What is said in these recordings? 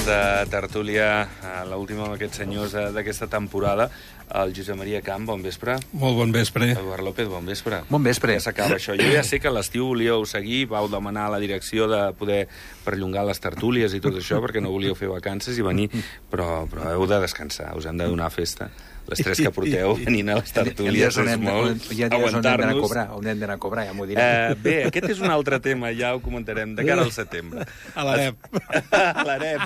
de tertúlia, l'última amb aquests senyors d'aquesta temporada. El Josep Maria Camp, bon vespre. Molt bon vespre. Eduard López, bon vespre. Bon vespre. Ja s'acaba això. Jo ja sé que a l'estiu volíeu seguir, vau demanar a la direcció de poder perllongar les tertúlies i tot això, perquè no volíeu fer vacances i venir, però heu de descansar, us hem de donar festa. Les tres que porteu venint a les tertúlies és molt aguantar-nos. On hem d'anar a cobrar, ja m'ho diré. Bé, aquest és un altre tema, ja ho comentarem, de cara al setembre. A l'AREP. A l'AREP.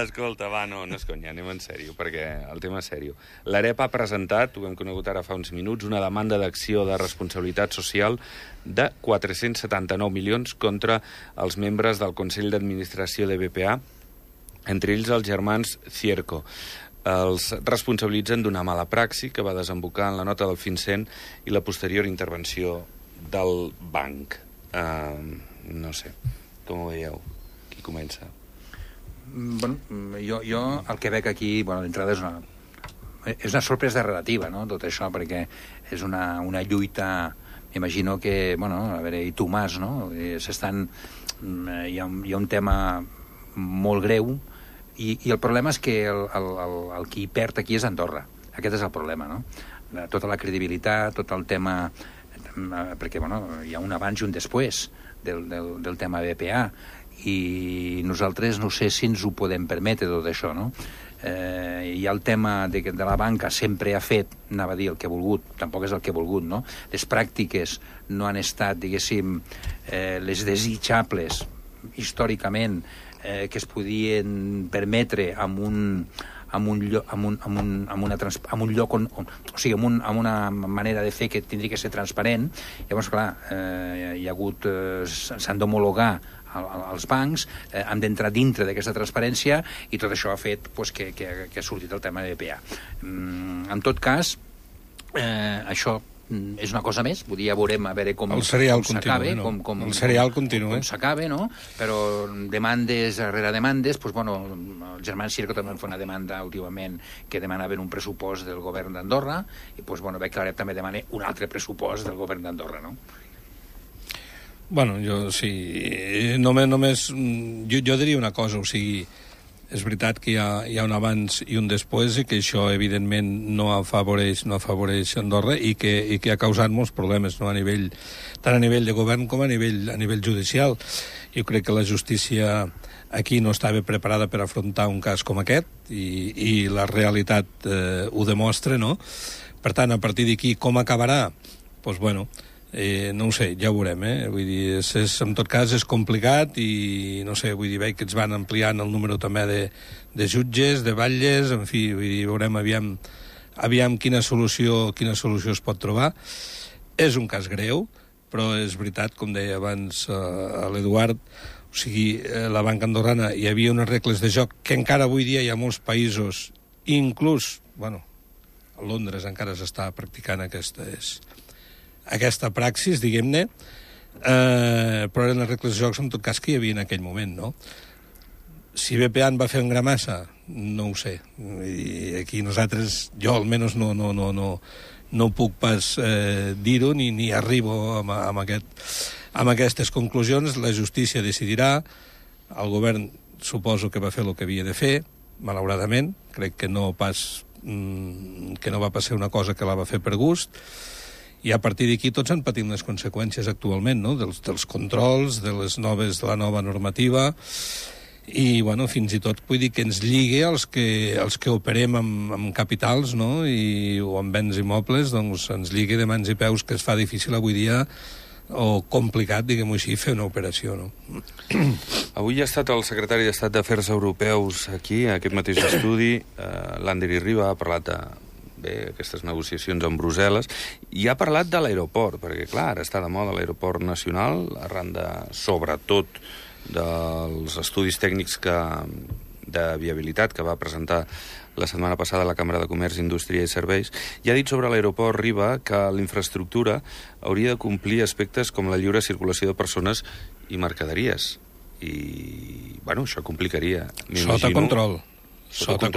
Escolta, va, no és conya, anem en sèrio, perquè el tema és sèrio. L'AREP ha presentat, ho hem conegut ara fa uns minuts, una demanda d'acció de responsabilitat social de 479 milions contra els membres del Consell d'Administració de BPA, entre ells els germans Cierco. Els responsabilitzen d'una mala praxi que va desembocar en la nota del FinCEN i la posterior intervenció del banc. No sé, com ho veieu? Qui comença? Bueno, jo el que veig aquí, d'entrada és una sorpresa relativa, no?, tot això, perquè és una lluita, m'imagino que, a veure, i tu Mas, no?, hi ha un tema molt greu, i el problema és que el qui perd aquí és Andorra. Aquest és el problema, no? Tota la credibilitat, tot el tema... Perquè, hi ha un abans i un després del tema BPA, i nosaltres no sé si ens ho podem permetre, tot això, no? Hi ha el tema de la banca sempre ha fet, anava a dir el que ha volgut, tampoc és el que ha volgut, no? Les pràctiques no han estat, diguéssim, les desitjables històricament, que es podien permetre amb una manera de fer que tindria que ser transparent. Llavors, clar, s'han d'homologar als bancs, han d'entrar dintre d'aquesta transparència, i tot això ha fet que ha sortit el tema de BPA. En tot cas, això és una cosa més, ja veurem a veure com s'acaba, el serial continua, com s'acaba, no? Però demandes rere demandes, el germà Cierco també fa una demanda últimament que demanaven un pressupost del govern d'Andorra, i veig que l'AREP també demana un altre pressupost del govern d'Andorra, no? Jo diria una cosa, o sigui, és veritat que hi ha un abans i un després, i que això, evidentment, no afavoreix Andorra, i que ha causat molts problemes, no? Tant a nivell de govern com a nivell judicial. Jo crec que la justícia aquí no estava preparada per afrontar un cas com aquest, i la realitat ho demostra, no? Per tant, a partir d'aquí, com acabarà? No ho sé, ja ho veurem, Vull dir, en tot cas és complicat, i no sé, veig que ens van ampliant el número també de jutges, de batlles, en fi, veurem aviam quina solució es pot trobar. És un cas greu, però és veritat, com deia abans l'Eduard, o sigui, la banca andorrana, hi havia unes regles de joc que encara avui dia hi ha molts països, inclús, a Londres encara s'està practicant aquesta praxis, diguem-ne, però eren les regles de jocs, en tot cas, que hi havia en aquell moment, no? Si BPA en va fer en gramassa, no ho sé. I aquí nosaltres, jo almenys no puc pas dir-ho, ni arribo amb aquestes conclusions. La justícia decidirà, el govern suposo que va fer el que havia de fer, malauradament, crec que no va passar una cosa que la va fer per gust, i a partir d'aquí tots han patit les conseqüències actualment, no?, dels controls, de la nova normativa, i, fins i tot, vull dir, que ens lligue els que operem amb capitals, no?, o amb béns immobles, doncs ens lligue de mans i peus, que es fa difícil avui dia, o complicat, diguem-ho així, fer una operació, no? Avui ha estat el secretari d'Estat d'Afers Europeus aquí, a aquest mateix estudi, l'Andri Riba, ha parlat aquestes negociacions amb Brussel·les, i ha parlat de l'aeroport, perquè, clar, ara està de moda l'aeroport nacional, arran sobretot dels estudis tècnics de viabilitat que va presentar la setmana passada a la Càmera de Comerç, Indústria i Serveis, i ha dit sobre l'aeroport Riba que la infraestructura hauria de complir aspectes com la lliure circulació de persones i mercaderies. I, això complicaria, m'imagino... Sota control. Sota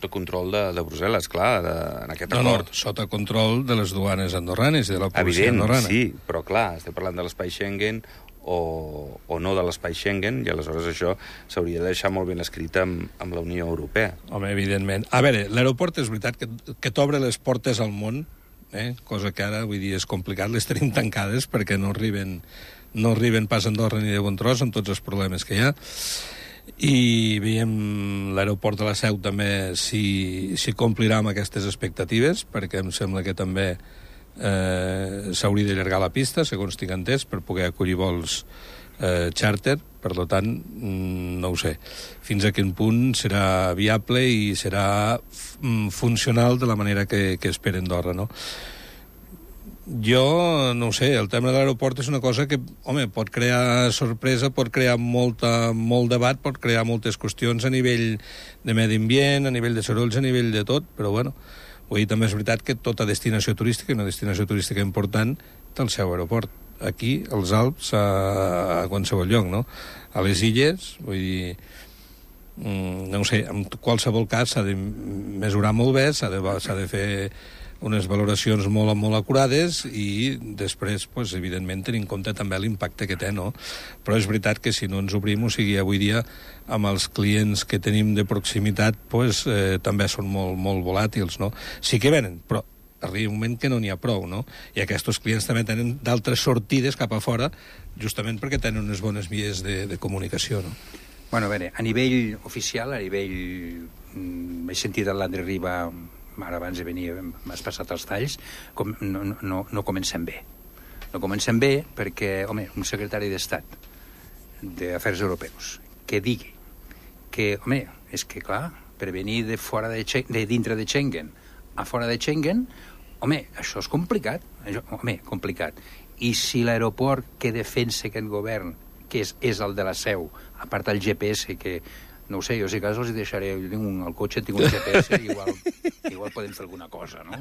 control de Brussel·les, clar, en aquest acord. Sota control de les duanes andorranes, de la policia andorrana. Evident, sí, però clar, estem parlant de l'espai Schengen, o no de l'espai Schengen, i aleshores això s'hauria de deixar molt ben escrit amb la Unió Europea. Home, evidentment. A veure, l'aeroport és veritat que t'obre les portes al món, cosa que ara, vull dir, és complicat, les tenim tancades perquè no arriben pas a Andorra ni de bon tros amb tots els problemes que hi ha. I veiem l'aeroport de la Seu també si complirà amb aquestes expectatives, perquè em sembla que també s'hauria d'allargar la pista, segons tinc entès, per poder acollir vols xàrter. Per tant, no ho sé fins a quin punt serà viable i serà funcional de la manera que espera Andorra, no? Jo no ho sé, el tema de l'aeroport és una cosa que, home, pot crear sorpresa, pot crear molt debat, pot crear moltes qüestions a nivell de medi ambient, a nivell de sorolls, a nivell de tot, però bueno, avui també és veritat que tota destinació turística, una destinació turística important, té el seu aeroport. Aquí, als Alps, a qualsevol lloc, no? A les illes, vull dir, no ho sé, en qualsevol cas s'ha de mesurar molt bé, s'ha de fer unes valoracions molt acurades i després, pues, evidentment, tenir en compte també l'impacte que té, no? Però és veritat que si no ens obrim, o sigui, avui dia, amb els clients que tenim de proximitat, pues, també són molt volàtils, no? Sí que venen, però arriba un moment que no n'hi ha prou, no? I aquests clients també tenen d'altres sortides cap a fora, justament perquè tenen unes bones vies de comunicació, no? Bueno, a veure, a nivell oficial, a nivell... he sentit a l'André Riba, ara abans de venir m'has passat els talls, no comencem bé. No comencem bé perquè, home, un secretari d'Estat d'Afers Europeus que digui que, home, és que, clar, per venir de dintre de Schengen a fora de Schengen, home, això és complicat. Complicat. I si l'aeroport que defensa aquest govern, que és el de la Seu, a part del GPS, que no ho sé, jo si cas els deixaré, jo tinc al cotxe, tinc un GPS, igual podem fer alguna cosa, no?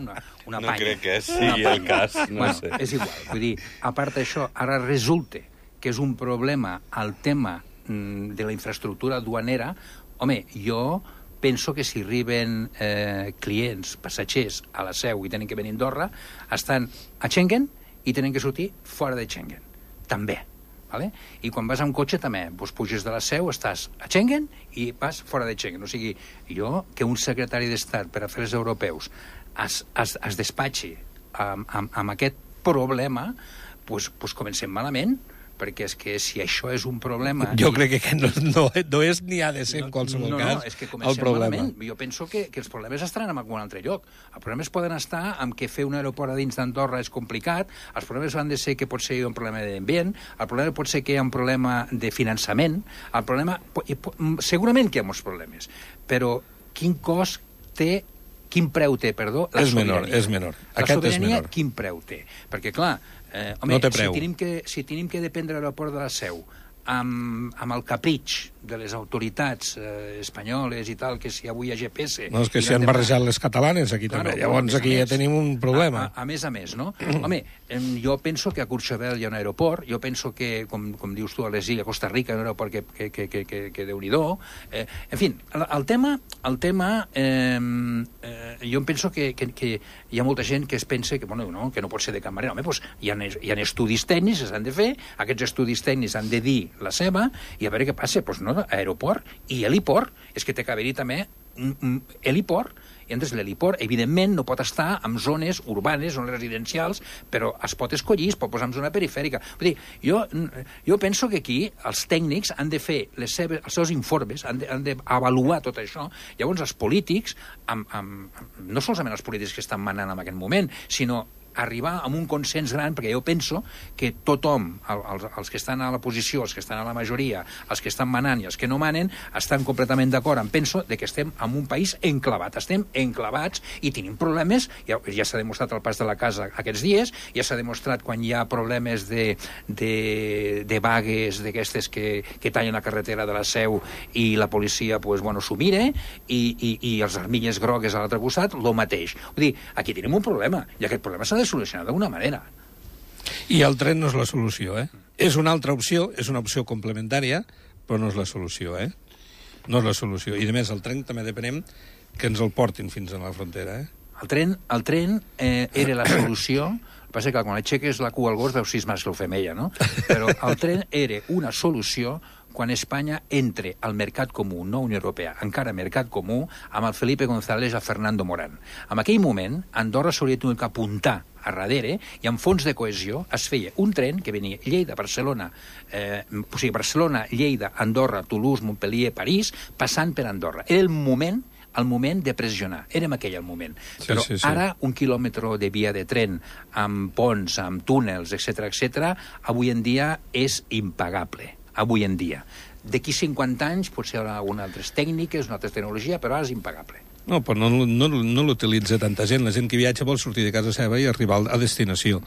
Una panya. No crec que sigui el cas, no sé. És igual, vull dir, a part d'això, ara resulta que és un problema el tema de la infraestructura duanera. Home, jo penso que si arriben clients, passatgers a la Seu i tenen que venir a Andorra, estan a Schengen i tenen que sortir fora de Schengen, també. Vale? I quan vas amb cotxe també, doncs puges de la Seu, estàs a Schengen i vas fora de Schengen. O sigui, jo, que un secretari d'Estat per Afers Europeus es despatxi amb aquest problema, doncs comencem malament, perquè és que si això és un problema... Jo crec que no és ni ha de ser en qualsevol cas és que comencem el problema. Malament. Jo penso que els problemes estaran en algun altre lloc. Els problemes poden estar en que fer un aeroport a dins d'Andorra és complicat, els problemes han de ser que pot ser un problema d'ambient, el problema pot ser que hi ha un problema de finançament, el problema... Segurament que hi ha molts problemes, però quin cost té... Quin preu té, perdó? La sobirania. És menor. La sobirania, quin preu té? Perquè, clar, home, no té preu. Si tenim que dependre de l'aeroport de la Seu amb el capritx de les autoritats espanyoles i tal, que si avui hi ha GPS... No, és que s'hi han barrejat les catalanes aquí també, llavors aquí ja tenim un problema. A més, no? Home, jo penso que a Courchevel hi ha un aeroport, jo penso que, com dius tu, a les illes, a Costa Rica, un aeroport que Déu-n'hi-do. En fi, el tema jo penso que hi ha molta gent que es pensa que no pot ser de cap manera. Home, doncs hi ha estudis tècnics que s'han de fer, aquests estudis tècnics han de dir la seva, i a veure què passa. Doncs no, aeroport i heliport, és que té que haver-hi també heliport, i entonces l'heliport, evidentment, no pot estar en zones urbanes, zones residencials, però es pot escollir, es pot posar en zona perifèrica. Vull dir, jo penso que aquí els tècnics han de fer els seus informes, han d'avaluar tot això. Llavors, els polítics, no solament els polítics que estan manant en aquest moment, sinó arribar a un consens gran, perquè jo penso que tothom, els que estan a la posició, els que estan a la majoria, els que estan manant i els que no manen, estan completament d'acord. Penso que estem en un país enclavat, estem enclavats i tenim problemes, ja s'ha demostrat al pas de la casa aquests dies, ja s'ha demostrat quan hi ha problemes de vagues d'aquestes que tallen la carretera de la Seu i la policia s'ho mira, i els armilles grogues a l'altre costat, el mateix. Vull dir, aquí tenim un problema, i aquest problema s'ha de solucionar d'alguna manera. I el tren no és la solució, És una altra opció, és una opció complementària, però no és la solució, No és la solució. I, a més, el tren també depenem que ens el portin fins a la frontera, El tren era la solució El que passa que quan aixeques la cua al gos veus si és mascle o femella, no? Però el tren era una solució quan Espanya entre al mercat comú, no Unió Europea, encara mercat comú, amb el Felipe González a Fernando Morán. En aquell moment, Andorra s'hauria tingut que apuntar a darrere i amb fons de cohesió es feia un tren que venia Lleida-Barcelona, Barcelona, Lleida, Andorra, Toulouse, Montpellier, París, passant per Andorra. Era el moment de pressionar. Érem aquell el moment. Però ara, un quilòmetre de via de tren amb ponts, amb túnels, etc, avui en dia és impagable. Avui en dia. D'aquí 50 anys potser hi haurà algunes altres tècniques, una altra tecnologia, però ara és impagable. No, però no l'utilitza tanta gent. La gent que viatja vol sortir de casa seva i arribar a destinació.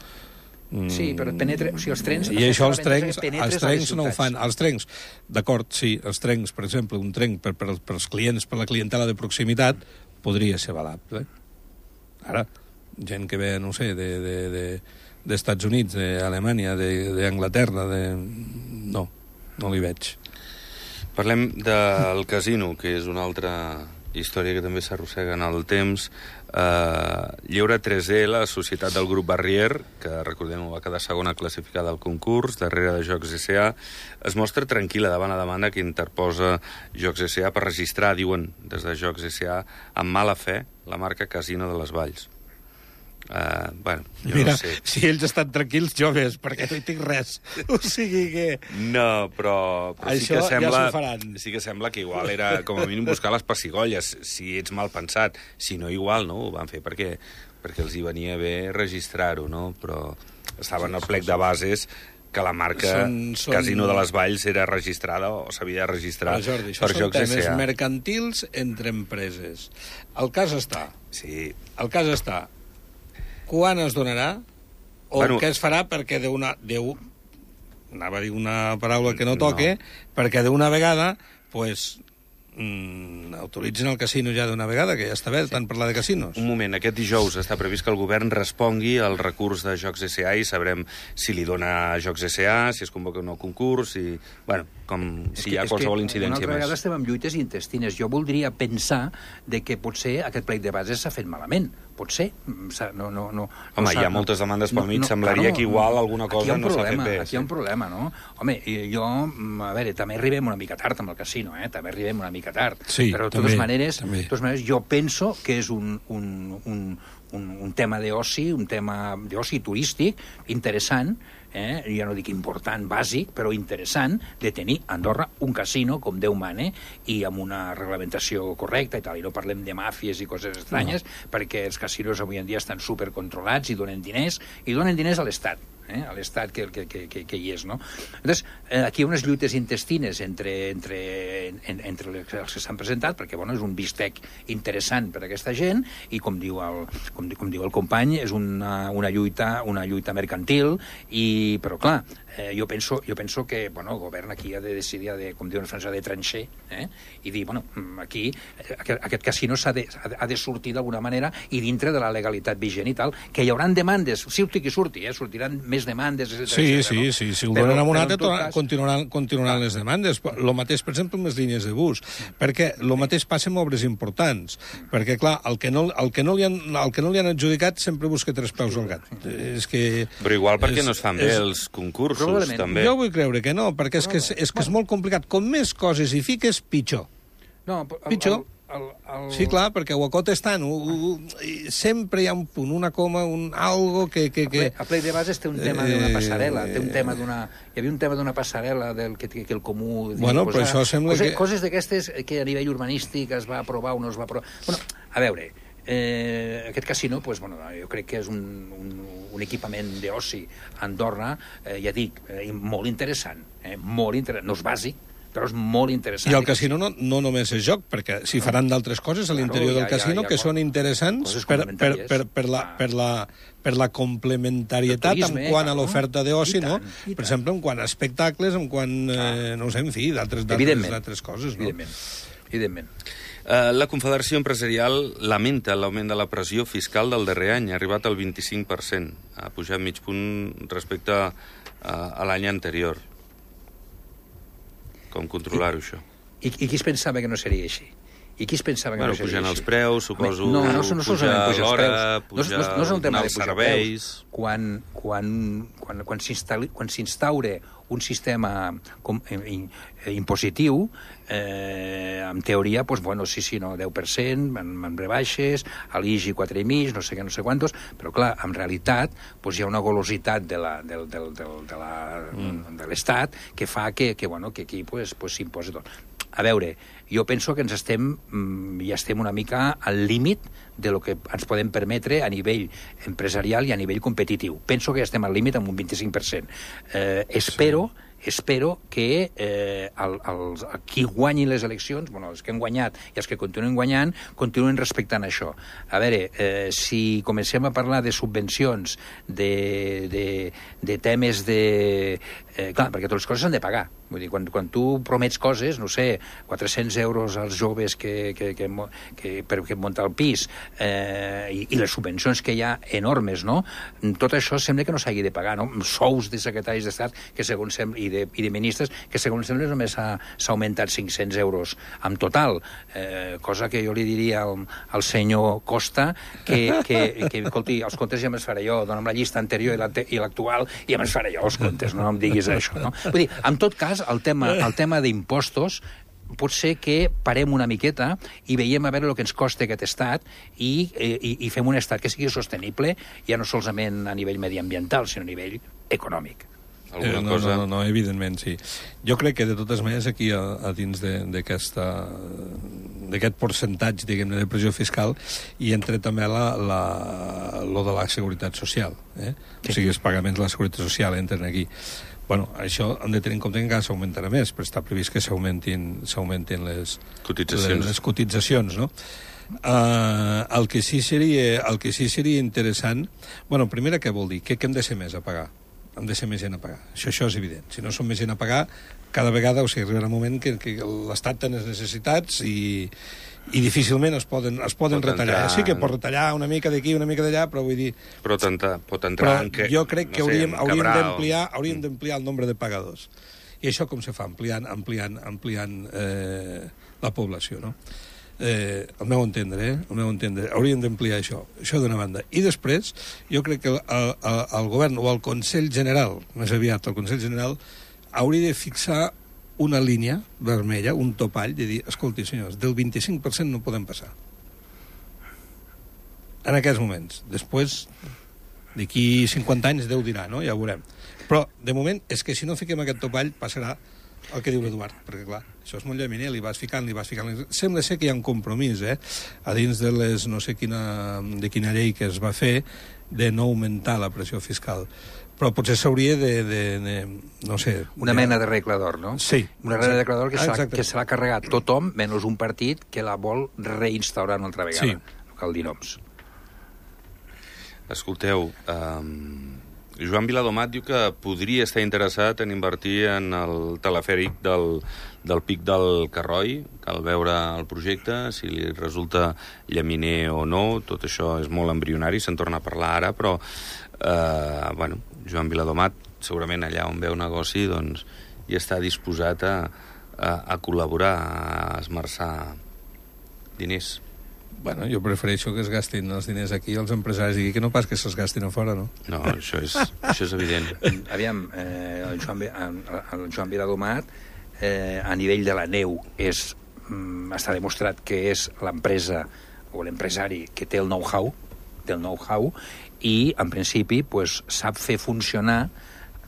Sí, però penetra... O sigui, els trens... I això els trens no ho fan. Els trens, d'acord, sí, els trens, per exemple, un tren per als clients, per la clientela de proximitat, podria ser valable. Ara, gent que ve, no sé, d'Estats Units, d'Alemanya, d'Anglaterra, no li veig. Parlem del casino, que és una altra història que també s'arrossega en el temps. Lleure 3D, la societat del grup Barrier, que recordem va quedar segona classificada al concurs, darrere de Jocs S.A., es mostra tranquil·la davant la demanda que interposa Jocs S.A. per registrar, diuen des de Jocs S.A., amb mala fe la marca Casino de les Valls. Bueno, jo mira, no sé. Si ells estan tranquils, jo ves, perquè no hi tinc res. O sigui que... No, però sí que sembla... ja s'ho faran. Sí que sembla que igual era, com a mínim, buscar les pessigolles, si ets mal pensat. Si no, igual, no? Ho van fer perquè els hi venia bé registrar-ho, no? Però estava en el plec de bases que la marca Casino de les Valls era registrada o s'havia de registrar per Jocs S.A. Això són temes mercantils entre empreses. El cas està. Sí. El cas està. Quan es donarà o què es farà perquè anava a dir una paraula que no toque, perquè d'una vegada autoritzen el casino ja d'una vegada, que ja està bé, tant parlar de casinos. Un moment, aquest dijous està previst que el govern respongui al recurs de Jocs S.A. i sabrem si li dona Jocs S.A., si es convoca un nou concurs, si hi ha qualsevol incidència més. Una altra vegada estem amb lluites intestines. Jo voldria pensar que potser aquest plec de bases s'ha fet malament. Potser. Home, hi ha moltes demandes pel mig, semblaria que igual alguna cosa no s'ha fet bé. Aquí hi ha un problema, no? Home, jo, a veure, també arribem una mica tard amb el casino, també arribem una mica tard. Sí, però de totes maneres, jo penso que és un tema d'oci, un tema d'oci turístic interessant, ja no dic important, bàsic, però interessant, de tenir a Andorra un casino, com Déu mana, i amb una reglamentació correcta i tal, i no parlem de màfies i coses estranyes, perquè els casinos avui en dia estan supercontrolats i donen diners a l'Estat. A l'estat que hi és, no? Llavors, aquí hi ha unes lluites intestines entre els que s'han presentat, perquè, és un bistec interessant per a aquesta gent, i com diu el company, és una lluita mercantil, però, clar, jo penso que, el govern aquí ha de decidir, com diuen els francesos, de trancher, i dir, aquí aquest casino ha de sortir d'alguna manera i dintre de la legalitat vigent i tal, que hi haurà demandes, surti qui surti, sortiran més demandes, etc. Sí, si ho donen amb un altre, continuaran les demandes. El mateix, per exemple, amb les línies de bus, perquè el mateix passa amb obres importants, perquè, clar, el que no li han adjudicat sempre busca tres peus al gat. Però igual perquè no es fan bé els concursos, també. Jo vull creure que no, perquè és que és molt complicat. Com més coses hi fiques, pitjor. Pitjor. Sí, clar, perquè ho acotes tant. Sempre hi ha un punt, una coma, algo que... A plec de bases té un tema d'una passarel·la, hi havia un tema d'una passarel·la que el comú... Però això sembla que... Coses d'aquestes que a nivell urbanístic es va aprovar o no es va aprovar... A veure, aquest casino, jo crec que és un equipament d'oci a Andorra, ja dic, molt interessant, no és bàsic, però és molt interessant. I el casino no només és joc, perquè si faran d'altres coses a l'interior del casino que són interessants per la complementarietat en quant a l'oferta d'oci, no? Per exemple, en quant a espectacles, en quant, no sé, en fi, d'altres coses, no? Evidentment. La Confederació Empresarial lamenta l'augment de la pressió fiscal del darrer any, ha arribat al 25%, ha pujat mig punt respecte a l'any anterior. Com controlar-ho, això? I qui es pensava que no seria així? I qui es pensava que Bueno, no seria pujant així? els preus, suposo, No solament pujar pujar els l'hora, preus. No és un tema de els pujar serveis... Quan s'instaure un sistema impositiu, en teoria, doncs, bueno, sí, no, 10%, en rebaixes, a l'IGI 4,5, no sé què, no sé quantos, però, clar, en realitat, doncs, hi ha una golositat de l'Estat que fa que aquí s'imposi tot. A veure, jo penso que ja estem una mica al límit de lo que ens podem permetre a nivell empresarial i a nivell competitiu. Penso que ja estem al límit amb un 25%. Espero que qui guanyi les eleccions, els que han guanyat i els que continuen guanyant, continuen respectant això. A veure, si comencem a parlar de subvencions, de temes de... clar, perquè totes les coses s'han de pagar. Vull dir, quan tu promets coses, no sé, 400 euros als joves per muntar el pis i les subvencions que hi ha enormes, no? Tot això sembla que no s'hagi de pagar, no? Sous de secretaris d'Estat que segons sembla, i de ministres que segons sembla només s'ha augmentat 500 euros en total, cosa que jo li diria al senyor Costa que escolti, els comptes ja me'ls faré jo, dona'm la llista anterior i l'actual i ja me'ls faré jo els comptes, no em diguis això, no? Vull dir, en tot cas, el tema d'impostos pot ser que parem una miqueta i veiem a veure el que ens costa aquest estat i fem un estat que sigui sostenible ja no solament a nivell mediambiental, sinó a nivell econòmic. No, evidentment, sí. Jo crec que, de totes maneres, aquí, a dins d'aquest percentatge, diguem-ne, de pressió fiscal, hi entra també lo de la seguretat social. Sí. O sigui, els pagaments de la seguretat social entren aquí. Bueno, això hem de tenir en compte que encara s'augmentarà més, però està previst que s'augmentin les cotitzacions, no? El que sí seria interessant... Bueno, primera, què vol dir? Què hem de ser més a pagar? Hem de ser més gent a pagar. Això és evident. Si no som més gent a pagar, cada vegada, o sigui, arribarà un moment que l'Estat té les necessitats i difícilment es poden retallar. Sí que pot retallar una mica d'aquí, una mica d'allà, però vull dir... Pot entrar en què... Jo crec que hauríem d'ampliar el nombre de pagadors. I això com se fa? Ampliant la població, no? Al meu entendre, hauríem d'ampliar això d'una banda. I després, jo crec que el govern o el Consell General, més aviat el Consell General, hauria de fixar una línia vermella, un topall, de dir, escolti, senyors, del 25% no podem passar. En aquests moments. Després, d'aquí 50 anys, Déu dirà, no? Ja ho veurem. Però, de moment, és que si no fiquem aquest topall, passarà el que diu l'Eduard, perquè, clar, això és molt llaminer, li vas ficant. Sembla ser que hi ha un compromís, a dins de les, no sé de quina llei que es va fer, de no augmentar la pressió fiscal. Però potser s'hauria no sé... Una mena de regla d'or, no? Sí. Una mena de regla d'or que se l'ha carregat tothom, menys un partit que la vol reinstaurar una altra vegada. Sí. No cal dir noms. Escolteu, Joan Viladomat diu que podria estar interessat en invertir en el telefèric del Pic del Carroi. Cal veure el projecte, si li resulta llaminer o no. Tot això és molt embrionari, se'n torna a parlar ara, però Joan Viladomat, segurament allà on veu negoci, doncs hi està disposat a col·laborar, a esmerçar diners. Bueno, jo prefereixo que es gastin els diners aquí els empresaris i que no pas que se'ls gastin a fora, no? No, això és evident. Aviam, el Joan Viladomat, a nivell de la neu, està demostrat que és l'empresa o l'empresari que té el know-how, i, en principi, sap fer funcionar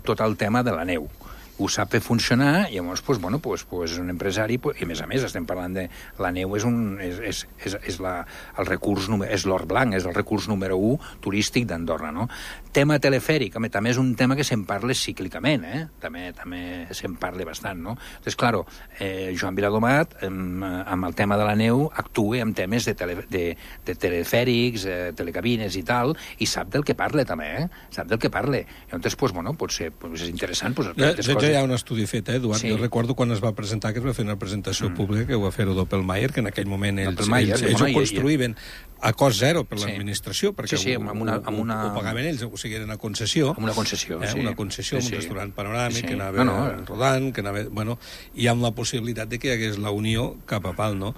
tot el tema de la neu. Ho sap fer funcionar, i llavors, és un empresari, i a més, estem parlant de... La neu és el recurs, és l'or blanc, és el recurs número 1 turístic d'Andorra, no? Tema telefèric, també és un tema que se'n parla cíclicament, també se'n parla bastant, no? Entonces, claro, Joan Viladomat, amb el tema de la neu, actua en temes de telefèrics, telecabines i tal, i sap del que parla, també, Sap del que parla. Llavors, potser és interessant, hi ha un estudi fet, Eduard. Sí. Jo recordo quan es va presentar, que es va fer una presentació pública, que ho va fer-ho Doppelmayr, que en aquell moment ells ho construïen a cost zero per l'administració, perquè ho pagaven ells, o sigui, era una concessió. Amb una concessió, sí. Una concessió, un restaurant panoràmic, que anava rodant, que anava... Bueno, i amb la possibilitat de que hi hagués la unió cap a pal, no?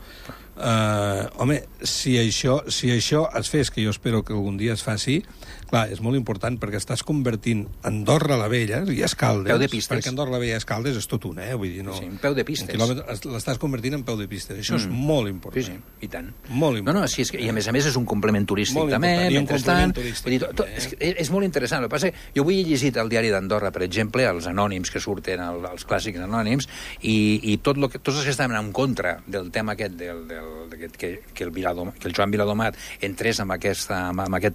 Home, si això es fes, que jo espero que algun dia es faci, clar, és molt important, perquè estàs convertint Andorra la Vella i Escaldes... Peu de pistes. Perquè Andorra la Vella i Escaldes és tot un, vull dir, no... Sí, peu de pistes. L'estàs convertint en peu de pistes. Això és molt important. Sí, sí, i tant. Molt important. No, sí, i a més és un complement turístic molt també, i un mentrestant. turístic, És molt interessant. El que passa jo avui he llegit al diari d'Andorra, per exemple, els anònims que surten, els clàssics anònims, i tots els que estaven en contra del tema aquest, que el Joan Viladomat entrés amb aquest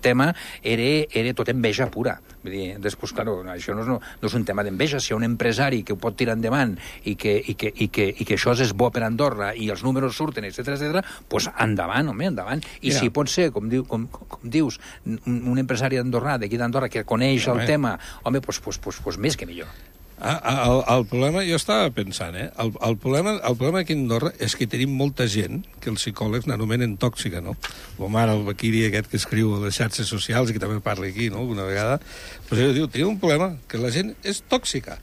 tema, era tot enveja pura. Vull dir, després, clar, això no és un tema d'enveja. Si hi ha un empresari que ho pot tirar endavant i que això és bo per Andorra i els números surten, etc, doncs endavant, home, endavant. I si pot ser, com dius, un empresari andorrà, d'aquí d'Andorra, que coneix el tema, home, doncs més que millor. El problema, jo estava pensant, el problema aquí a Andorra és que tenim molta gent que els psicòlegs n'anomenen tòxica, no? Com ara el Bequiri aquest que escriu a les xarxes socials i que també parla aquí, no?, alguna vegada. Doncs ell diu, tenim un problema, que la gent és tòxica.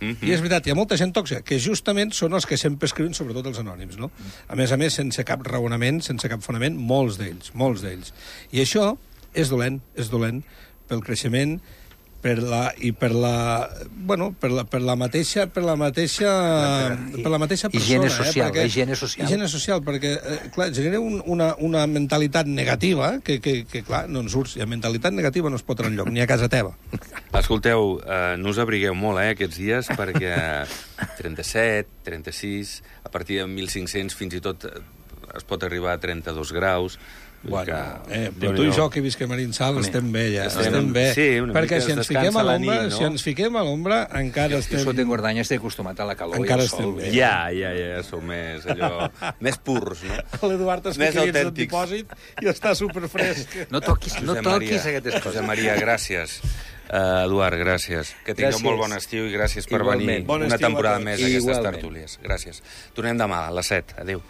I és veritat, hi ha molta gent tòxica, que justament són els que sempre escriuen, sobretot els anònims, no? A més, sense cap raonament, sense cap fonament, molts d'ells. I això és dolent pel creixement, per la mateixa persona. Higiene social. Perquè, clar, genera una mentalitat negativa que clar, no en surts. I la mentalitat negativa no es pot enlloc, ni a casa teva. Escolteu, no us abrigueu molt, aquests dies, perquè 37, 36, a partir de 1.500 fins i tot es pot arribar a 32 graus. Bueno, però tu i jo que visquem a Arinsal estem bé, ja. Estem bé. Sí, perquè si ens fiquem a l'ombra, encara estem... Jo sota Engordany estic acostumat a la calor i al sol. Ja, sou més purs, no? L'Eduard es fica dins del dipòsit i està superfresc. No toquis aquestes coses. Josep Maria, gràcies. Eduard, gràcies. Que tingueu molt bon estiu i gràcies per venir una temporada més a aquestes tertúlies. Gràcies. Tornem demà a les 7. Adéu.